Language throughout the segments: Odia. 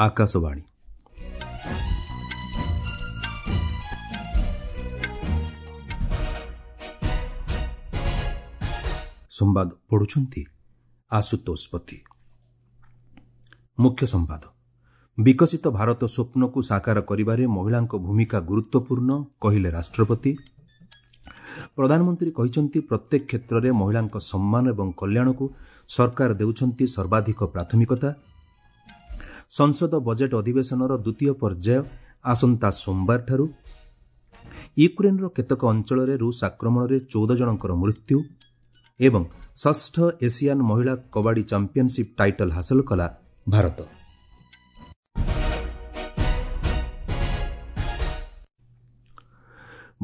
ଆକାଶବାଣୀ। ସମ୍ବାଦ ପଢ଼ୁଛନ୍ତି ଆଶୁତୋଷ ପତି। ମୁଖ୍ୟ ସମ୍ବାଦ। ବିକଶିତ ଭାରତ ସ୍ୱପ୍ନକୁ ସାକାର କରିବାରେ ମହିଳାଙ୍କ ଭୂମିକା ଗୁରୁତ୍ୱପୂର୍ଣ୍ଣ, କହିଲେ ରାଷ୍ଟ୍ରପତି। ପ୍ରଧାନମନ୍ତ୍ରୀ କହିଛନ୍ତି, ପ୍ରତ୍ୟେକ କ୍ଷେତ୍ରରେ ମହିଳାଙ୍କ ସମ୍ମାନ ଏବଂ କଲ୍ୟାଣକୁ ସରକାର ଦେଉଛନ୍ତି ସର୍ବାଧିକ ପ୍ରାଥମିକତା। ସଂସଦ ବଜେଟ୍ ଅଧିବେଶନର ଦ୍ୱିତୀୟ ପର୍ଯ୍ୟାୟ ଆସନ୍ତା ସୋମବାରଠାରୁ। ୟୁକ୍ରେନ୍ର କେତେକ ଅଞ୍ଚଳରେ ରୁଷ ଆକ୍ରମଣରେ 14 ଜଣଙ୍କର ମୃତ୍ୟୁ ଏବଂ ଷଷ୍ଠ ଏସିଆନ୍ ମହିଳା କବାଡି ଚାମ୍ପିୟନସିପ୍ ଟାଇଟଲ୍ ହାସଲ କଲା ଭାରତ।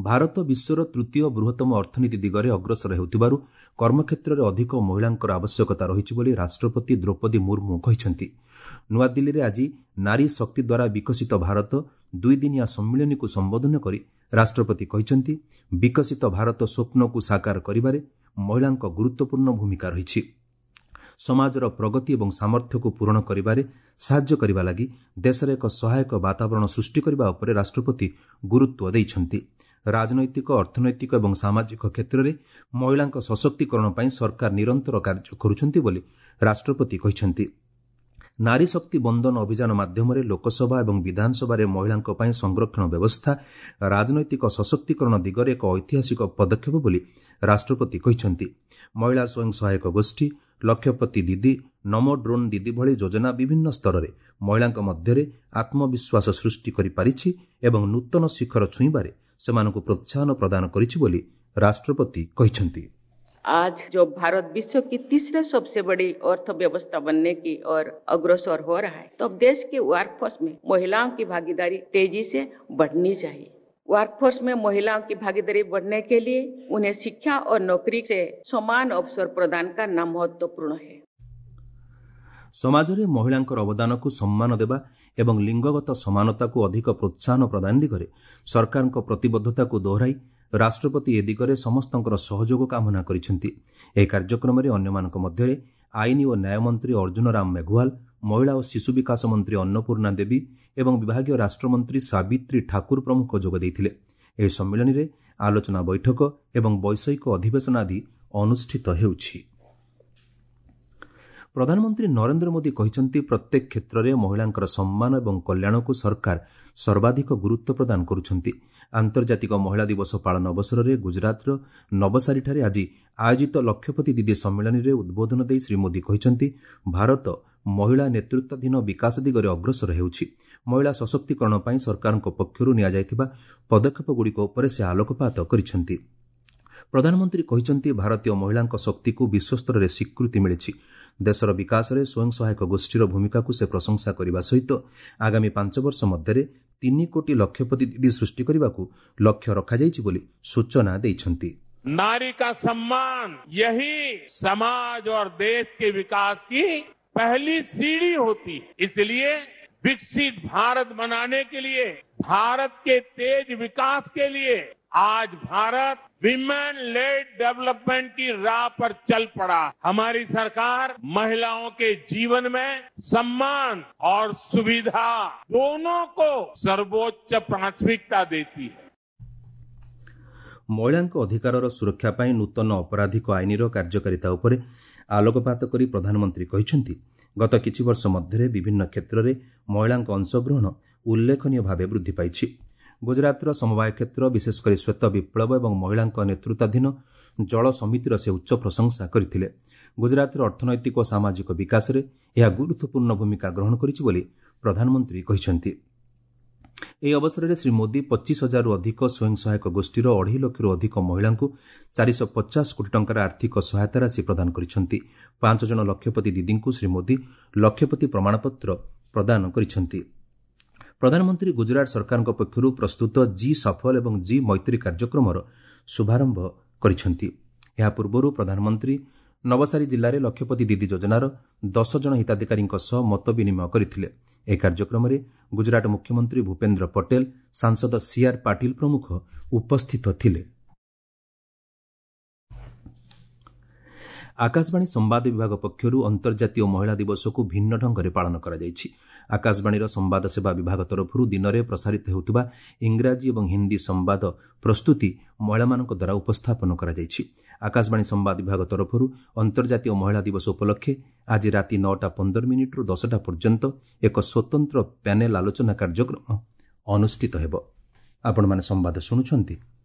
ଭାରତ ବିଶ୍ୱର ତୃତୀୟ ବୃହତ୍ତମ ଅର୍ଥନୀତି ଦିଗରେ ଅଗ୍ରସର ହେଉଥିବାରୁ କର୍ମକ୍ଷେତ୍ରରେ ଅଧିକ ମହିଳାଙ୍କର ଆବଶ୍ୟକତା ରହିଛି ବୋଲି ରାଷ୍ଟ୍ରପତି ଦ୍ରୌପଦୀ ମୁର୍ମୁ କହିଛନ୍ତି। ନୂଆଦିଲ୍ଲୀରେ ଆଜି ନାରୀ ଶକ୍ତି ଦ୍ୱାରା ବିକଶିତ ଭାରତ ଦୁଇଦିନିଆ ସମ୍ମିଳନୀକୁ ସମ୍ବୋଧନ କରି ରାଷ୍ଟ୍ରପତି କହିଛନ୍ତି, ବିକଶିତ ଭାରତ ସ୍ୱପ୍ନକୁ ସାକାର କରିବାରେ ମହିଳାଙ୍କ ଗୁରୁତ୍ୱପୂର୍ଣ୍ଣ ଭୂମିକା ରହିଛି। ସମାଜର ପ୍ରଗତି ଏବଂ ସାମର୍ଥ୍ୟକୁ ପୂରଣ କରିବାରେ ସାହାଯ୍ୟ କରିବା ଲାଗି ଦେଶରେ ଏକ ସହାୟକ ବାତାବରଣ ସୃଷ୍ଟି କରିବା ଉପରେ ରାଷ୍ଟ୍ରପତି ଗୁରୁତ୍ୱ ଦେଇଛନ୍ତି। ରାଜନୈତିକ, ଅର୍ଥନୈତିକ ଏବଂ ସାମାଜିକ କ୍ଷେତ୍ରରେ ମହିଳାଙ୍କ ସଶକ୍ତିକରଣ ପାଇଁ ସରକାର ନିରନ୍ତର କାର୍ଯ୍ୟ କରୁଛନ୍ତି ବୋଲି ରାଷ୍ଟ୍ରପତି କହିଛନ୍ତି। ନାରୀ ଶକ୍ତି ବନ୍ଦନ ଅଭିଯାନ ମାଧ୍ୟମରେ ଲୋକସଭା ଏବଂ ବିଧାନସଭାରେ ମହିଳାଙ୍କ ପାଇଁ ସଂରକ୍ଷଣ ବ୍ୟବସ୍ଥା ରାଜନୈତିକ ସଶକ୍ତିକରଣ ଦିଗରେ ଏକ ଐତିହାସିକ ପଦକ୍ଷେପ ବୋଲି ରାଷ୍ଟ୍ରପତି କହିଛନ୍ତି। ମହିଳା ସ୍ୱୟଂ ସହାୟକ ଗୋଷ୍ଠୀ, ଲକ୍ଷପତି ଦିଦି, ନମୋ ଡ୍ରୋନ୍ ଦିଦି ଭଳି ଯୋଜନା ବିଭିନ୍ନ ସ୍ତରରେ ମହିଳାଙ୍କ ମଧ୍ୟରେ ଆତ୍ମବିଶ୍ୱାସ ସୃଷ୍ଟି କରିପାରିଛି ଏବଂ ନୂତନ ଶିଖର ଛୁଇଁବାରେ ସେମାନଙ୍କୁ ପ୍ରୋତ୍ସାହନ ପ୍ରଦାନ କରିଛି ବୋଲି ରାଷ୍ଟ୍ରପତି କହିଛନ୍ତି। आज जो भारत विश्व की तीसरे सबसे बड़ी अर्थव्यवस्था बनने की ओर अग्रसर हो रहा है, तो अब देश के वर्कफोर्स में महिलाओं की भागीदारी तेजी से बढ़नी चाहिए। वर्कफोर्स में महिलाओं की भागीदारी बढ़ने के लिए उन्हें शिक्षा और नौकरी से समान अवसर प्रदान करना महत्वपूर्ण है। ସମାଜରେ ମହିଳାଙ୍କର ଅବଦାନକୁ ସମ୍ମାନ ଦେବା ଏବଂ ଲିଙ୍ଗଗତ ସମାନତାକୁ ଅଧିକ ପ୍ରୋତ୍ସାହନ ପ୍ରଦାନ ଦିଗରେ ସରକାରଙ୍କ ପ୍ରତିବଦ୍ଧତାକୁ ଦୋହରାଇ ରାଷ୍ଟ୍ରପତି ଏ ଦିଗରେ ସମସ୍ତଙ୍କର ସହଯୋଗ କାମନା କରିଛନ୍ତି। ଏହି କାର୍ଯ୍ୟକ୍ରମରେ ଅନ୍ୟମାନଙ୍କ ମଧ୍ୟରେ ଆଇନ ଓ ନ୍ୟାୟ ମନ୍ତ୍ରୀ ଅର୍ଜୁନ ରାମ ମେଘୱାଲ, ମହିଳା ଓ ଶିଶୁ ବିକାଶ ମନ୍ତ୍ରୀ ଅନ୍ନପୂର୍ଣ୍ଣା ଦେବୀ ଏବଂ ବିଭାଗୀୟ ରାଷ୍ଟ୍ରମନ୍ତ୍ରୀ ସାବିତ୍ରୀ ଠାକୁର ପ୍ରମୁଖ ଯୋଗ ଦେଇଥିଲେ। ଏହି ସମ୍ମିଳନୀରେ ଆଲୋଚନା ବୈଠକ ଏବଂ ବୈଷୟିକ ଅଧିବେଶନ ଆଦି ଅନୁଷ୍ଠିତ ହେଉଛି। ପ୍ରଧାନମନ୍ତ୍ରୀ ନରେନ୍ଦ୍ର ମୋଦି କହିଛନ୍ତି, ପ୍ରତ୍ୟେକ କ୍ଷେତ୍ରରେ ମହିଳାଙ୍କର ସମ୍ମାନ ଏବଂ କଲ୍ୟାଣକୁ ସରକାର ସର୍ବାଧିକ ଗୁରୁତ୍ୱ ପ୍ରଦାନ କରୁଛନ୍ତି। ଆନ୍ତର୍ଜାତିକ ମହିଳା ଦିବସ ପାଳନ ଅବସରରେ ଗୁଜରାଟର ନବସାରୀଠାରେ ଆଜି ଆୟୋଜିତ ଲକ୍ଷପତି ଦିଦି ସମ୍ମିଳନୀରେ ଉଦ୍ବୋଧନ ଦେଇ ଶ୍ରୀ ମୋଦି କହିଛନ୍ତି, ଭାରତ ମହିଳା ନେତୃତ୍ୱାଧୀନ ବିକାଶ ଦିଗରେ ଅଗ୍ରସର ହେଉଛି। ମହିଳା ସଶକ୍ତିକରଣ ପାଇଁ ସରକାରଙ୍କ ପକ୍ଷରୁ ନିଆଯାଇଥିବା ପଦକ୍ଷେପଗୁଡ଼ିକ ଉପରେ ସେ ଆଲୋକପାତ କରିଛନ୍ତି। ପ୍ରଧାନମନ୍ତ୍ରୀ କହିଛନ୍ତି, ଭାରତୀୟ ମହିଳାଙ୍କ ଶକ୍ତିକୁ ବିଶ୍ୱସ୍ତରରେ ସ୍ୱୀକୃତି ମିଳିଛି। ଦେଶର ବିକାଶରେ ସ୍ୱୟଂ ସହାୟକ ଗୋଷ୍ଠୀର ଭୂମିକାକୁ ସେ ପ୍ରଶଂସା କରିବା ସହିତ ଆଗାମୀ 5 ବର୍ଷ ମଧ୍ୟରେ 3 କୋଟି ଲକ୍ଷପତି ଦିଦି ସୃଷ୍ଟି କରିବାକୁ ଲକ୍ଷ୍ୟ ରଖାଯାଇଛି ବୋଲି ସୂଚନା ଦେଇଛନ୍ତି। नारी का सम्मान यही समाज और देश के विकास की पहली सीढ़ी होती है। इसलिए विकसित भारत बनाने के लिए, भारत के तेज विकास के लिए आज भारत विमेन लेड डेवलपमेंट की राह पर चल पड़ा। हमारी सरकार महिलाओं के जीवन में सम्मान और सुविधा दोनों को सर्वोच्च प्राथमिकता देती है। ମହିଳାଙ୍କ ଅଧିକାରର ସୁରକ୍ଷା ପାଇଁ ନୂତନ ଅପରାଧିକ ଆଇନର କାର୍ଯ୍ୟକାରିତା ଉପରେ ଆଲୋକପାତ କରି ପ୍ରଧାନମନ୍ତ୍ରୀ କହିଛନ୍ତି, ଗତ କିଛି ବର୍ଷ ମଧ୍ୟରେ ବିଭିନ୍ନ କ୍ଷେତ୍ରରେ ମହିଳାଙ୍କ ଅଂଶଗ୍ରହଣ ଉଲ୍ଲେଖନୀୟ ଭାବେ ବୃଦ୍ଧି ପାଇଛି। ଗୁଜରାଟର ସମବାୟ କ୍ଷେତ୍ର, ବିଶେଷକରି ଶ୍ୱେତ ବିପ୍ଳବ ଏବଂ ମହିଳାଙ୍କ ନେତୃତ୍ୱାଧୀନ ଜଳ ସମିତିର ସେ ଉଚ୍ଚ ପ୍ରଶଂସା କରିଥିଲେ। ଗୁଜରାଟର ଅର୍ଥନୈତିକ ଓ ସାମାଜିକ ବିକାଶରେ ଏହା ଗୁରୁତ୍ୱପୂର୍ଣ୍ଣ ଭୂମିକା ଗ୍ରହଣ କରିଛି ବୋଲି ପ୍ରଧାନମନ୍ତ୍ରୀ କହିଛନ୍ତି। ଏହି ଅବସରରେ ଶ୍ରୀ ମୋଦି 25 ହଜାରରୁ ଅଧିକ ସ୍ୱୟଂ ସହାୟକ ଗୋଷ୍ଠୀର 2.5 ଲକ୍ଷରୁ ଅଧିକ ମହିଳାଙ୍କୁ 450 କୋଟି ଟଙ୍କାର ଆର୍ଥିକ ସହାୟତା ରାଶି ପ୍ରଦାନ କରିଛନ୍ତି। 5 ଜଣ ଲକ୍ଷପତି ଦିଦିଙ୍କୁ ଶ୍ରୀ ମୋଦି ଲକ୍ଷପତି ପ୍ରମାଣପତ୍ର ପ୍ରଦାନ କରିଛନ୍ତି। ପ୍ରଧାନମନ୍ତ୍ରୀ ଗୁଜରାଟ ସରକାରଙ୍କ ପକ୍ଷରୁ ପ୍ରସ୍ତୁତ ଜି ସଫଲ ଏବଂ ଜି ମୈତ୍ରୀ କାର୍ଯ୍ୟକ୍ରମର ଶୁଭାରମ୍ଭ କରିଛନ୍ତି। ଏହା ପୂର୍ବରୁ ପ୍ରଧାନମନ୍ତ୍ରୀ ନବସାରୀ ଜିଲ୍ଲାରେ ଲକ୍ଷପତି ଦିଦି ଯୋଜନାର 10 ଜଣ ହିତାଧିକାରୀଙ୍କ ସହ ମତ ବିନିମୟ କରିଥିଲେ। ଏହି କାର୍ଯ୍ୟକ୍ରମରେ ଗୁଜରାଟ ମୁଖ୍ୟମନ୍ତ୍ରୀ ଭୂପେନ୍ଦ୍ର ପଟେଲ, ସାଂସଦ ସିଆର୍ ପାଟିଲ ପ୍ରମୁଖ ଉପସ୍ଥିତ ଥିଲେ। ଆକାଶବାଣୀ ସମ୍ବାଦ ବିଭାଗ ପକ୍ଷରୁ ଅନ୍ତର୍ଜାତୀୟ ମହିଳା ଦିବସକୁ ଭିନ୍ନ ଢଙ୍ଗରେ ପାଳନ କରାଯାଇଛି। ଆକାଶବାଣୀର ସମ୍ବାଦ ସେବା ବିଭାଗ ତରଫରୁ ଦିନରେ ପ୍ରସାରିତ ହେଉଥିବା ଇଂରାଜୀ ଏବଂ ହିନ୍ଦୀ ସମ୍ବାଦ ପ୍ରସ୍ତୁତି ମହିଳାମାନଙ୍କ ଦ୍ୱାରା ଉପସ୍ଥାପନ କରାଯାଇଛି। ଆକାଶବାଣୀ ସମ୍ବାଦ ବିଭାଗ ତରଫରୁ ଅନ୍ତର୍ଜାତୀୟ ମହିଳା ଦିବସ ଉପଲକ୍ଷେ ଆଜି ରାତି 9ଟା 15 ମିନିଟ୍ରୁ 10ଟା ପର୍ଯ୍ୟନ୍ତ ଏକ ସ୍ୱତନ୍ତ୍ର ପ୍ୟାନେଲ୍ ଆଲୋଚନା କାର୍ଯ୍ୟକ୍ରମ ଅନୁଷ୍ଠିତ ହେବ। ଆପଣମାନେ ସମ୍ବାଦ ଶୁଣୁଛନ୍ତି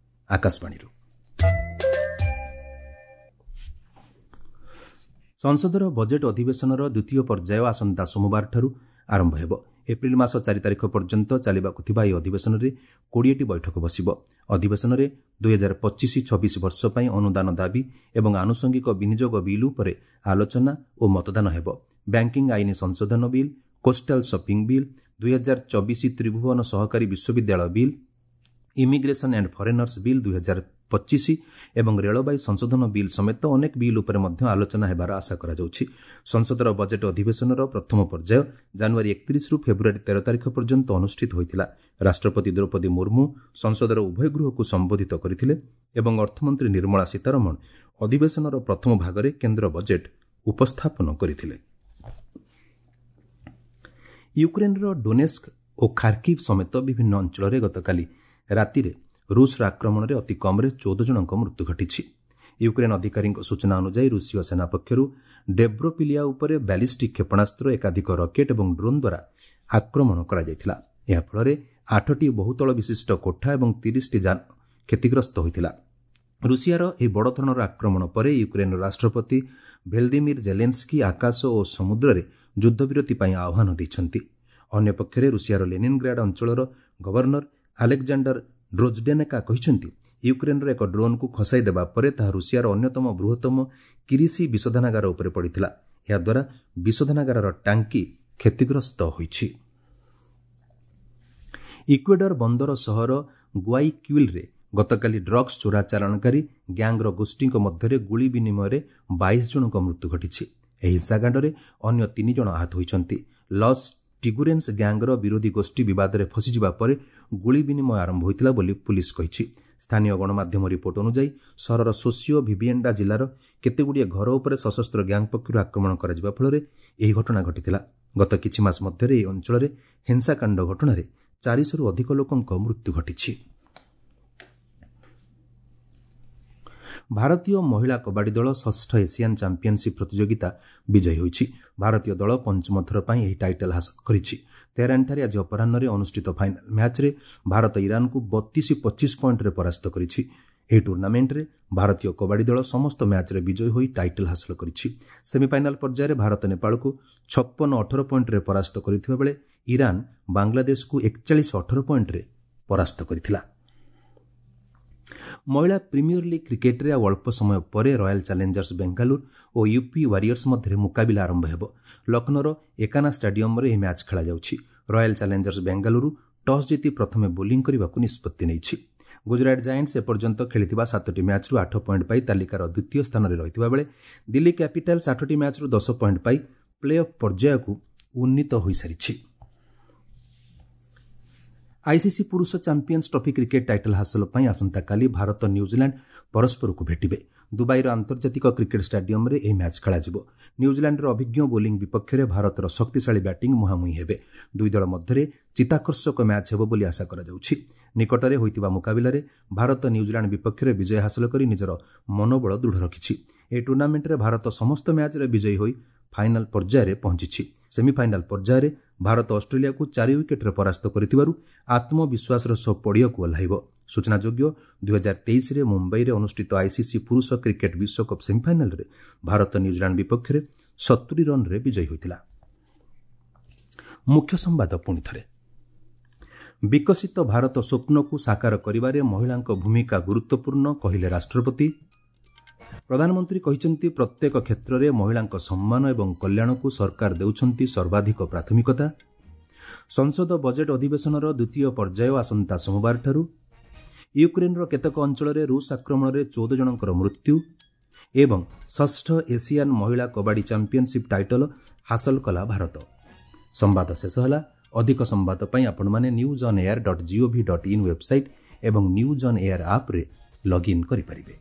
ଆକାଶବାଣୀରୁ। ସଂସଦର ବଜେଟ୍ ଅଧିବେଶନର ଦ୍ୱିତୀୟ ପର୍ଯ୍ୟାୟ ଆସନ୍ତା ସୋମବାରଠାରୁ ଆରମ୍ଭ ହେବ। ଏପ୍ରିଲ ମାସ 4 ତାରିଖ ପର୍ଯ୍ୟନ୍ତ ଚାଲିବାକୁ ଥିବା ଏହି ଅଧିବେଶନରେ 20ଟି ବୈଠକ ବସିବ। ଅଧିବେଶନରେ 2025-26 ବର୍ଷ ପାଇଁ ଅନୁଦାନ ଦାବି ଏବଂ ଆନୁଷଙ୍ଗିକ ବିନିଯୋଗ ବିଲ୍ ଉପରେ ଆଲୋଚନା ଓ ମତଦାନ ହେବ। ବ୍ୟାଙ୍କିଂ ଆଇନ ସଂଶୋଧନ bill, coastal shipping bill, 2024 Tribhuban ସହକାରୀ ବିଶ୍ୱବିଦ୍ୟାଳୟ bill, immigration and foreigners bill 2025 ଏବଂ ରେଳବାଇ ସଂଶୋଧନ ବିଲ୍ ସମେତ ଅନେକ ବିଲ୍ ଉପରେ ମଧ୍ୟ ଆଲୋଚନା ହେବାର ଆଶା କରାଯାଉଛି। ସଂସଦର ବଜେଟ୍ ଅଧିବେଶନର ପ୍ରଥମ ପର୍ଯ୍ୟାୟ ଜାନୁଆରୀ 31ରୁ ଫେବୃଆରୀ 13 ତାରିଖ ପର୍ଯ୍ୟନ୍ତ ଅନୁଷ୍ଠିତ ହୋଇଥିଲା। ରାଷ୍ଟ୍ରପତି ଦ୍ରୌପଦୀ ମୁର୍ମୁ ସଂସଦର ଉଭୟ ଗୃହକୁ ସମ୍ବୋଧିତ କରିଥିଲେ ଏବଂ ଅର୍ଥମନ୍ତ୍ରୀ ନିର୍ମଳା ସୀତାରମଣ ଅଧିବେଶନର ପ୍ରଥମ ଭାଗରେ କେନ୍ଦ୍ର ବଜେଟ୍ ଉପସ୍ଥାପନ କରିଥିଲେ। ୟୁକ୍ରେନ୍ର ଡୋନେସ୍କ ଓ ଖାର୍କିଭ୍ ସମେତ ବିଭିନ୍ନ ଅଞ୍ଚଳରେ ଗତକାଲି ରାତିରେ ରୁଷର ଆକ୍ରମଣରେ ଅତି କମ୍ରେ 14 ଜଣଙ୍କ ମୃତ୍ୟୁ ଘଟିଛି। ୟୁକ୍ରେନ୍ ଅଧିକାରୀଙ୍କ ସୂଚନା ଅନୁଯାୟୀ, ରୁଷୀୟ ସେନା ପକ୍ଷରୁ ଡୋବ୍ରୋପିଲିଆ ଉପରେ ବ୍ୟାଲିଷ୍ଟିକ୍ କ୍ଷେପଣାସ୍ତ୍ର, ଏକାଧିକ ରକେଟ୍ ଏବଂ ଡ୍ରୋନ୍ ଦ୍ୱାରା ଆକ୍ରମଣ କରାଯାଇଥିଲା। ଏହାଫଳରେ ଆଠଟି ବହୁତଳ ବିଶିଷ୍ଟ କୋଠା ଏବଂ 30ଟି ଯାନ କ୍ଷତିଗ୍ରସ୍ତ ହୋଇଥିଲା। ରୁଷିଆର ଏହି ବଡ଼ ଧରଣର ଆକ୍ରମଣ ପରେ ୟୁକ୍ରେନ୍ର ରାଷ୍ଟ୍ରପତି ଭେଲ୍ଦିମିର୍ ଜେଲେନ୍ସ୍କି ଆକାଶ ଓ ସମୁଦ୍ରରେ ଯୁଦ୍ଧବିରତି ପାଇଁ ଆହ୍ୱାନ ଦେଇଛନ୍ତି। ଅନ୍ୟପକ୍ଷରେ ରୁଷିଆର ଲେନିନ୍ଗ୍ରାଡ୍ ଅଞ୍ଚଳର ଗଭର୍ଣ୍ଣର ଆଲେକ୍ଜାଣ୍ଡର ଡ୍ରୋଜଡେନେକା କହିଛନ୍ତି, ୟୁକ୍ରେନ୍ର ଏକ ଡ୍ରୋନ୍କୁ ଖସାଇ ଦେବା ପରେ ତାହା ରୁଷିଆର ଅନ୍ୟତମ ବୃହତ୍ତମ କିରିସି ବିଶୋଧନାଗାର ଉପରେ ପଡ଼ିଥିଲା। ଏହାଦ୍ୱାରା ବିଶୋଧନାଗାରର ଟାଙ୍କି କ୍ଷତିଗ୍ରସ୍ତ ହୋଇଛି। ଇକ୍ୱେଡର ବନ୍ଦର ସହର ଗୁଆଇକ୍ୟୁଇଲ୍ରେ ଗତକାଲି ଡ୍ରଗ୍ସ ଚୋରା ଚାଲାଣକାରୀ ଗ୍ୟାଙ୍ଗର ଗୋଷ୍ଠୀଙ୍କ ମଧ୍ୟରେ ଗୁଳି ବିନିମୟରେ 22 ଜଣଙ୍କ ମୃତ୍ୟୁ ଘଟିଛି। ଏହି ହିଂସାକାଣ୍ଡରେ ଅନ୍ୟ ତିନି ଜଣ ଆହତ ହୋଇଛନ୍ତି। ଲସ୍ ଟିଗୁରେନ୍ସ ଗ୍ୟାଙ୍ଗର ବିରୋଧୀ ଗୋଷ୍ଠୀ ବିବାଦରେ ଫସିଯିବା ପରେ ଗୁଳି ବିନିମୟ ଆରମ୍ଭ ହୋଇଥିଲା ବୋଲି ପୁଲିସ୍ କହିଛି। ସ୍ଥାନୀୟ ଗଣମାଧ୍ୟମ ରିପୋର୍ଟ ଅନୁଯାୟୀ, ସହରର ସୋସିଓ ଭିଭିଏଣ୍ଡା ଜିଲ୍ଲାର କେତେଗୁଡ଼ିଏ ଘର ଉପରେ ସଶସ୍ତ୍ର ଗ୍ୟାଙ୍ଗ ପକ୍ଷରୁ ଆକ୍ରମଣ କରାଯିବା ଫଳରେ ଏହି ଘଟଣା ଘଟିଥିଲା। ଗତ କିଛି ମାସ ମଧ୍ୟରେ ଏହି ଅଞ୍ଚଳରେ ହିଂସାକାଣ୍ଡ ଘଟଣାରେ 400ରୁ ଅଧିକ ଲୋକଙ୍କ ମୃତ୍ୟୁ ଘଟିଛି। ଭାରତୀୟ ମହିଳା କବାଡି ଦଳ ଷଷ୍ଠ ଏସିଆନ୍ ଚାମ୍ପିୟନସିପ୍ ପ୍ରତିଯୋଗିତା ବିଜୟୀ ହୋଇଛି। ଭାରତୀୟ ଦଳ ପଞ୍ଚମ ଥର ପାଇଁ ଏହି ଟାଇଟଲ୍ ହାସଲ କରିଛି। ତେହେରାନଠାରେ ଆଜି ଅପରାହ୍ନରେ ଅନୁଷ୍ଠିତ ଫାଇନାଲ ମ୍ୟାଚ୍ରେ ଭାରତ ଇରାନକୁ 32-25 ପଏଣ୍ଟରେ ପରାସ୍ତ କରିଛି। ଏହି ଟୁର୍ଣ୍ଣାମେଣ୍ଟରେ ଭାରତୀୟ କବାଡି ଦଳ ସମସ୍ତ ମ୍ୟାଚ୍ରେ ବିଜୟୀ ହୋଇ ଟାଇଟଲ୍ ହାସଲ କରିଛି। ସେମିଫାଇନାଲ ପର୍ଯ୍ୟାୟରେ ଭାରତ ନେପାଳକୁ 56-18 ପଏଣ୍ଟରେ ପରାସ୍ତ କରିଥିବା ବେଳେ ଇରାନ ବାଂଲାଦେଶକୁ 41-18 ପଏଣ୍ଟରେ ପରାସ୍ତ କରିଥିଲା। ମହିଳା ପ୍ରିମିୟର ଲିଗ୍ କ୍ରିକେଟରେ ଆଉ ଅଳ୍ପ ସମୟ ପରେ ରୟାଲ ଚ୍ୟାଲେଞ୍ଜର୍ସ ବେଙ୍ଗାଲୁରୁ ଓ ୟୁପି ୱାରିୟର୍ସ ମଧ୍ୟରେ ମୁକାବିଲା ଆରମ୍ଭ ହେବ। ଲକ୍ଷ୍ନୌର ଏକାନା ଷ୍ଟାଡିୟମରେ ଏହି ମ୍ୟାଚ୍ ଖେଳାଯାଉଛି। ରୟାଲ ଚ୍ୟାଲେଞ୍ଜର୍ସ ବେଙ୍ଗାଲୁରୁ ଟସ୍ ଜିତି ପ୍ରଥମେ ବୋଲିଂ କରିବାକୁ ନିଷ୍ପତ୍ତି ନେଇଛି। ଗୁଜରାଟ ଜାଏଣ୍ଟସ୍ ଏପର୍ଯ୍ୟନ୍ତ ଖେଳିଥିବା ସାତଟି ମ୍ୟାଚ୍ରୁ 8 ପଏଣ୍ଟ ପାଇ ତାଲିକାର ଦ୍ୱିତୀୟ ସ୍ଥାନରେ ରହିଥିବା ବେଳେ ଦିଲ୍ଲୀ କ୍ୟାପିଟାଲ୍ସ ଆଠଟି ମ୍ୟାଚ୍ରୁ 10 ପଏଣ୍ଟ ପାଇ ପ୍ଲେ ଅଫ୍ ପର୍ଯ୍ୟାୟକୁ ଉନ୍ନୀତ ହୋଇସାରିଛି। ଆଇସିସି ପୁରୁଷ ଚାମ୍ପିୟନ୍ସ ଟ୍ରଫି କ୍ରିକେଟ୍ ଟାଇଟଲ୍ ହାସଲ ପାଇଁ ଆସନ୍ତାକାଲି ଭାରତ, ନ୍ୟୁଜିଲାଣ୍ଡ ପରସ୍ପରକୁ ଭେଟିବେ। ଦୁବାଇର ଆନ୍ତର୍ଜାତିକ କ୍ରିକେଟ୍ ଷ୍ଟାଡିୟମରେ ଏହି ମ୍ୟାଚ୍ ଖେଳାଯିବ। ନ୍ୟୁଜିଲାଣ୍ଡର ଅଭିଜ୍ଞ ବୋଲିଂ ବିପକ୍ଷରେ ଭାରତର ଶକ୍ତିଶାଳୀ ବ୍ୟାଟିଂ ମୁହାଁମୁହିଁ ହେବେ। ଦୁଇ ଦଳ ମଧ୍ୟରେ ଚିତ୍ତାକର୍ଷକ ମ୍ୟାଚ୍ ହେବ ବୋଲି ଆଶା କରାଯାଉଛି। ନିକଟରେ ହୋଇଥିବା ମୁକାବିଲାରେ ଭାରତ ନ୍ୟୁଜିଲାଣ୍ଡ ବିପକ୍ଷରେ ବିଜୟ ହାସଲ କରି ନିଜର ମନୋବଳ ଦୃଢ଼ ରଖିଛି। ଏହି ଟୁର୍ଣ୍ଣାମେଣ୍ଟରେ ଭାରତ ସମସ୍ତ ମ୍ୟାଚ୍ରେ ବିଜୟୀ ହୋଇ ଫାଇନାଲ ପର୍ଯ୍ୟାୟରେ ପହଞ୍ଚିଛି। ସେମିଫାଇନାଲ ପର୍ଯ୍ୟାୟରେ ଭାରତ ଅଷ୍ଟ୍ରେଲିଆକୁ 4 ୱିକେଟ୍ରେ ପରାସ୍ତ କରିଥିବାରୁ ଆତ୍ମବିଶ୍ୱାସର ସହ ପଡ଼ିଆକୁ ଓହ୍ଲାଇବ। ସୂଚନାଯୋଗ୍ୟ, 2023ରେ ମୁମ୍ବାଇରେ ଅନୁଷ୍ଠିତ ଆଇସିସି ପୁରୁଷ କ୍ରିକେଟ୍ ବିଶ୍ୱକପ୍ ସେମିଫାଇନାଲରେ ଭାରତ ନ୍ୟୁଜିଲାଣ୍ଡ ବିପକ୍ଷରେ 70 ରନ୍ରେ ବିଜୟୀ ହୋଇଥିଲା। ମୁଖ୍ୟ ସମ୍ବାଦ ପୁଣି ଥରେ। ବିକଶିତ ଭାରତ ସ୍ୱପ୍ନକୁ ସାକାର କରିବାରେ ମହିଳାଙ୍କ ଭୂମିକା ଗୁରୁତ୍ୱପୂର୍ଣ୍ଣ, କହିଲେ ରାଷ୍ଟ୍ରପତି। ପ୍ରଧାନମନ୍ତ୍ରୀ କହିଛନ୍ତି, ପ୍ରତ୍ୟେକ କ୍ଷେତ୍ରରେ ମହିଳାଙ୍କ ସମ୍ମାନ ଏବଂ କଲ୍ୟାଣକୁ ସରକାର ଦେଉଛନ୍ତି ସର୍ବାଧିକ ପ୍ରାଥମିକତା। ସଂସଦ ବଜେଟ୍ ଅଧିବେଶନର ଦ୍ୱିତୀୟ ପର୍ଯ୍ୟାୟ ଆସନ୍ତା ସୋମବାରଠାରୁ। ୟୁକ୍ରେନ୍ର କେତେକ ଅଞ୍ଚଳରେ ରୁଷ ଆକ୍ରମଣରେ 14 ଜଣଙ୍କର ମୃତ୍ୟୁ ଏବଂ ଷଷ୍ଠ ଏସିଆନ୍ ମହିଳା କବାଡି ଚାମ୍ପିୟନସିପ୍ ଟାଇଟଲ ହାସଲ କଲା ଭାରତ। ସମ୍ବାଦ ଶେଷ ହେଲା। ଅଧିକ ସମ୍ବାଦ ପାଇଁ ଆପଣମାନେ newsonair.gov.in website ଏବଂ ନ୍ୟୁଜ୍ ଅନ୍ ଏୟାର ଆପ୍ରେ ଲଗ୍ଇନ୍ କରିପାରିବେ।